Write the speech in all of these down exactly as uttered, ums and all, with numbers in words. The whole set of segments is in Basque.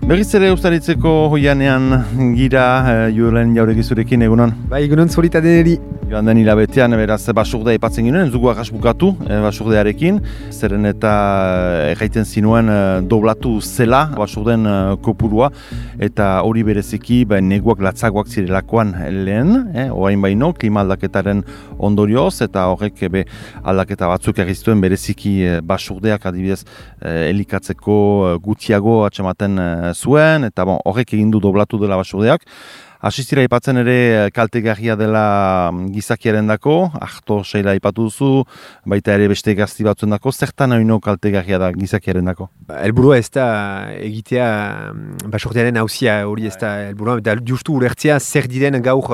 Berriz ere ustaritzeko hoianean gira, e, Julen Jauregizurekin egunon. Bai, egunon zurita deneri. Joan den hilabetean, beraz, basurdea ipatzen ginen, zugu agas bukatu e, basurdearekin, zeren eta erraiten zinuen e, doblatu zela basurden e, kopurua, eta hori bereziki ba, neguak latzagoak zirelakoan lehen, e, orain baino, klima aldaketaren ondorioz, eta horrek be, aldaketa batzuk egiztuen bereziki e, basurdeak adibidez e, elikatzeko e, gutxiago atxamaten e, zuen, eta bon, horrek egin du doblatu dela basurdeak. Asistira ipatzen ere kaltegarria dela gizakiaren dako, ahto seila ipatu duzu, baita ere beste gazti batzuen dako, zertan haino kaltegarria da gizakiaren dako? Elburua ez da egitea basurdiaren hauzia hori ez da elburua, eta justu ulertzea zer diren gaur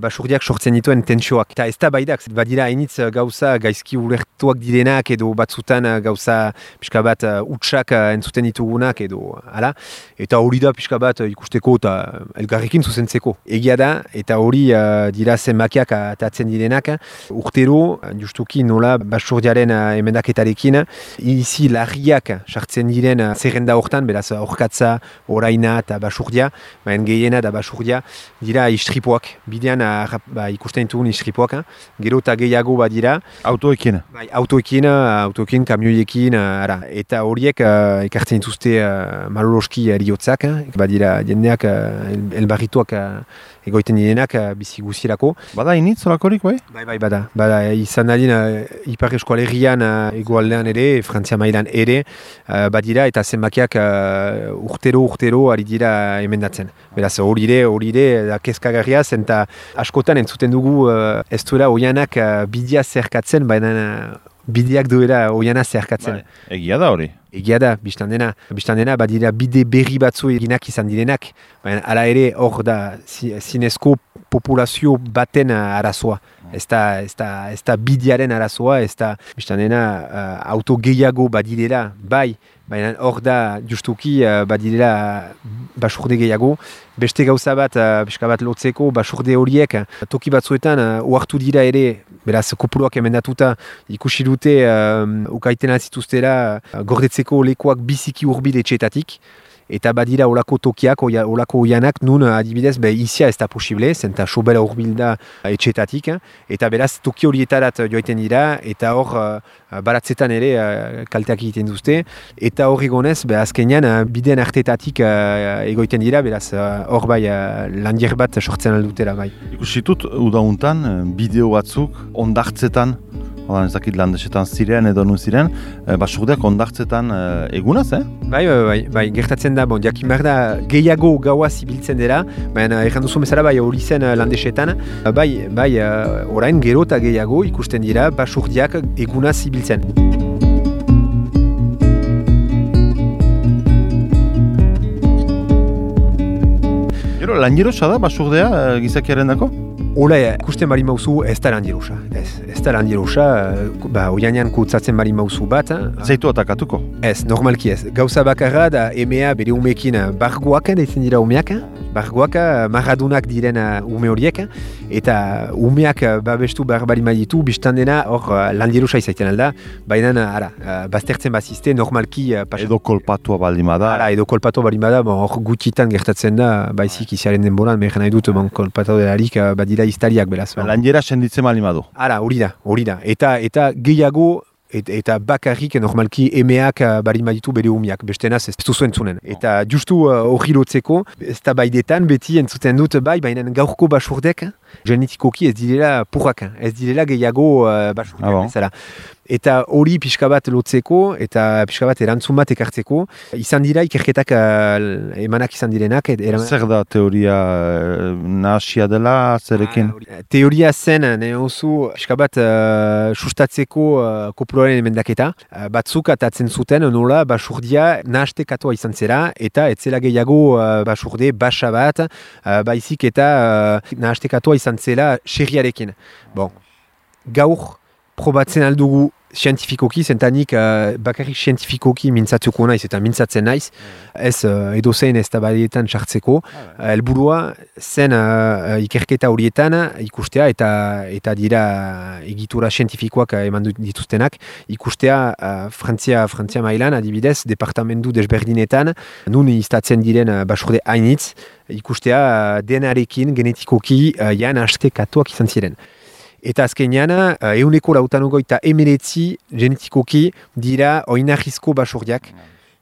basurdiak sortzen dituen tentsioak. Eta ez da baidak, badira hainitz gauza gaizki ulertuak direnak edo batzutan gauza pixka bat utxak entzuten ditugunak edo hala. Eta hori da pixka bat ikusteko eta elgarrekin zuzentzeko. Egia da, eta hori uh, dira zenbakiak atatzen direnak, urtero, justuki nola basurdiaren uh, emendaketarekin, izi larriak sartzen diren uh, zerrenda hortan, beraz horkatza, oraina eta basurdia, baina gehiena da basurdia, dira istripoak, bidean uh, ba, ikusten ditugun istripoak, gero eta gehiago badira. Autoekin? Bai, autoekin, autoekin, kamioiekin, uh, ara. Eta horiek uh, ekartzen dituzte uh, maloloski eriotzak, badira jendeak uh, el, elbarrituak uh, egoiten direnak uh, bizi guzirako. Bada initz horakorik, bai? Bai, bai, bada. Bada, izan dadin uh, Ipar Eskualerian uh, egoaldean ere, Frantzia mailan ere, uh, badira eta zenbakiak uh, urtero, urtero ari dira emendatzen. Beraz, hori ere, hori ere, da kezkagarria zen, eta askotan entzuten dugu uh, ez duela oianak uh, bidea zerkatzen, baina uh, bideak duela oiana zerkatzen. Bai. Egia da hori? Egia da, biztan dena. Biztan dena, badira bide berri batzu eginak izan direnak, baina hala ere hor da zinezko populazio baten arazoa. Ez da, ez da, ez da bidearen arazoa, ez da biztan dena uh, auto gehiago badirela, bai, baina hor da justuki uh, badirela basurde gehiago. Beste gauza bat, uh, biska bat lotzeko, basurde horiek, toki batzuetan uh, ohartu dira ere, beraz kopuruak emendatuta ikusi dute uh, ukaiten altzituztera uh, gordetzeko lekuak biziki hurbil etxeetatik. Eta badira olako tokiak, oia, olako oianak, nun adibidez, be, izia ez da posible, zenta sobera hurbil da etxetatik, eta beraz toki horietarat joaiten dira, eta hor uh, baratzetan ere uh, kalteak egiten duzte, eta hor egonez, be, azkenean uh, bideen artetatik uh, egoiten dira, beraz hor uh, bai uh, landier bat sortzen aldutera bai. Ikusitut, udauntan, bideo batzuk, ondartzetan, Odan ezakit landesetan ziren edo nun ziren, e, basurdeak ondartzetan e, egunaz, eh? Bai, bai, bai, bai, gertatzen da, bon, jakin behar da gehiago gaua zibiltzen dela, baina erran duzu bezala bai hori zen landesetan, bai, bai, orain gero eta gehiago ikusten dira basurdiak egunaz zibiltzen. Gero, lanjerosa da basurdea gizakiaren dako? Ola, ikusten bari mauzu ez da lanjerosa. Ez, ez da lanjerosa, ba, oianean kutsatzen bari mauzu bat. Zaitu atakatuko? Ez, normalki ez. Gauza bakarra da emea bere umeekin bargoak, deitzen dira umeak. Bargoak, marradunak diren ume horiek. Eta umeak babestu behar bari maitu, biztan dena hor lanjerosa izaiten alda. Baina, ara, baztertzen bazizte, normalki... Pas... Edo kolpatua baldimada. Ara, edo kolpatua baldimada, hor bon, gutitan gertatzen da, baizik iziaren denboran, mehen nahi dut, bon, kolpatua delarik, badira iztariak beraz. Lanjera senditzen balimadu. Ara, hori da, hori da. Eta, eta gehiago, et, eta bakarrik normalki emeak bari maditu bere umiak, bestenaz ez duzu entzunen. Eta justu hori uh, lotzeko, ez da baidetan beti entzuten dut bai, baina gaurko basurdek, genetikoki ez direla purrak, ez direla gehiago uh, basurdek. Ah, bon. Eta hori pixka bat lotzeko, eta pixka bat erantzun bat ekartzeko, izan dira ikerketak uh, emanak izan direnak. Eran... Zer da teoria uh, nahasia dela, zerekin? Ah, teoria zen, nahi oso, pixka bat uh, sustatzeko uh, kopuruaren emendaketa. Uh, batzuk atatzen zuten, nola, basurdia nahastekatua izan zera, eta etzela gehiago uh, basurde basa bat, uh, baizik eta uh, nahastekatua izan zela xerriarekin. Bon, gaur, probatzen aldugu zientifikoki, zentanik uh, bakarrik zientifikoki mintzatuko naiz eta mintzatzen naiz, ez uh, edozein ez tabadeetan sartzeko. Helburua zen uh, ikerketa horietan ikustea eta eta dira egitura zientifikoak eman dituztenak, ikustea uh, Frantzia, Frantzia mailan adibidez, departamentu desberdinetan, nun iztatzen diren uh, basurde hainitz, ikustea uh, denarekin genetikoki uh, jan astekatuak izan ziren. Eta azkenean, uh, euneko lautanogoita emeretzi genetikoki dira oinarrizko basurdiak.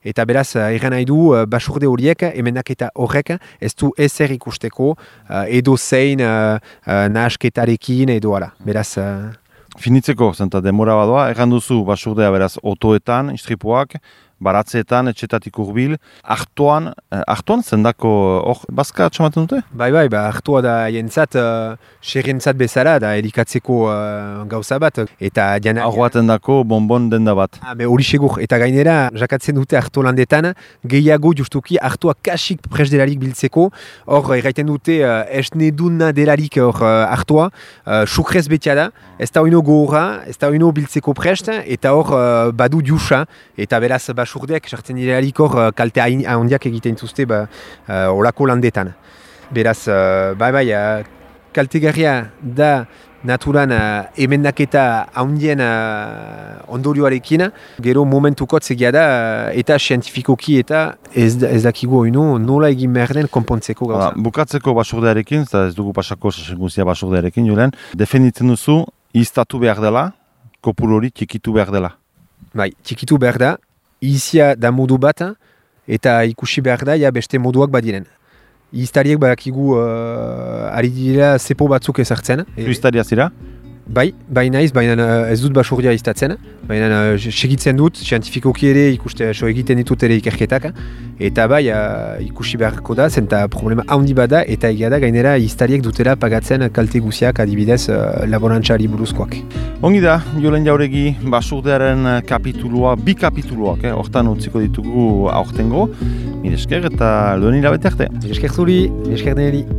Eta beraz, uh, erran nahi du, uh, basurde horiek, emenak eta horrek, ez du ezer ikusteko, uh, edo zein uh, uh, nahasketarekin edo ala. Beraz... Uh... Finitzeko, zenta demora badoa, erran duzu basurdea beraz otoetan, istripuak, baratzeetan, etxetatik urbil, hartuan, eh, hartuan zendako hor bazka atxamaten dute? Bai, bai, ba, hartua da jentzat, uh, xerrentzat bezala, da elikatzeko uh, gauza bat. Eta jana... Hor baten dako bonbon denda bat. Ah, hori segur, eta gainera, jakatzen dute hartu landetan, gehiago justuki hartua kasik pres delarik biltzeko, hor, erraiten dute, uh, esneduna delarik hor uh, hartua, uh, sukrez betia da, ez da oino gogorra, ez da oino biltzeko prest, eta hor uh, badu diusa, eta beraz, basurdeak sartzen direlarik hor uh, kalte handiak egiten zuzte ba, uh, olako landetan. Beraz, uh, bai bai, uh, kaltegarria da naturan uh, emendaketa handien uh, ondorioarekin, gero momentukot zegia da uh, eta zientifikoki eta ez, ez dakigu oino nola egin behar den konpontzeko gauza. Ba, bukatzeko basurdearekin, ez dugu pasako sasenguzia basurdearekin, Julen, defenditzen duzu, iztatu behar dela, kopuru hori txikitu behar dela. Bai, txikitu behar da, izia da modu bat, eta ikusi behar da, ja beste moduak badiren. Iztariek badakigu uh, ari dira zepo batzuk ezartzen. Zu iztaria zira? Bai, bai naiz, baina ez dut basurdia iztatzen, baina uh, segitzen dut, zientifikoki ere ikuste so egiten ditut ere ikerketak, eta bai uh, ikusi beharko da, zenta problema handi bada, eta egia da gainera iztariek dutela pagatzen kalte guziak adibidez uh, laborantzari buruzkoak. Ongi da, Julen Jauregi basurdearen kapitulua, bi kapituluak, eh, hortan utziko ditugu aurtengo, mire esker eta lehen hilabete arte. Mire esker zuri, mire esker deneri.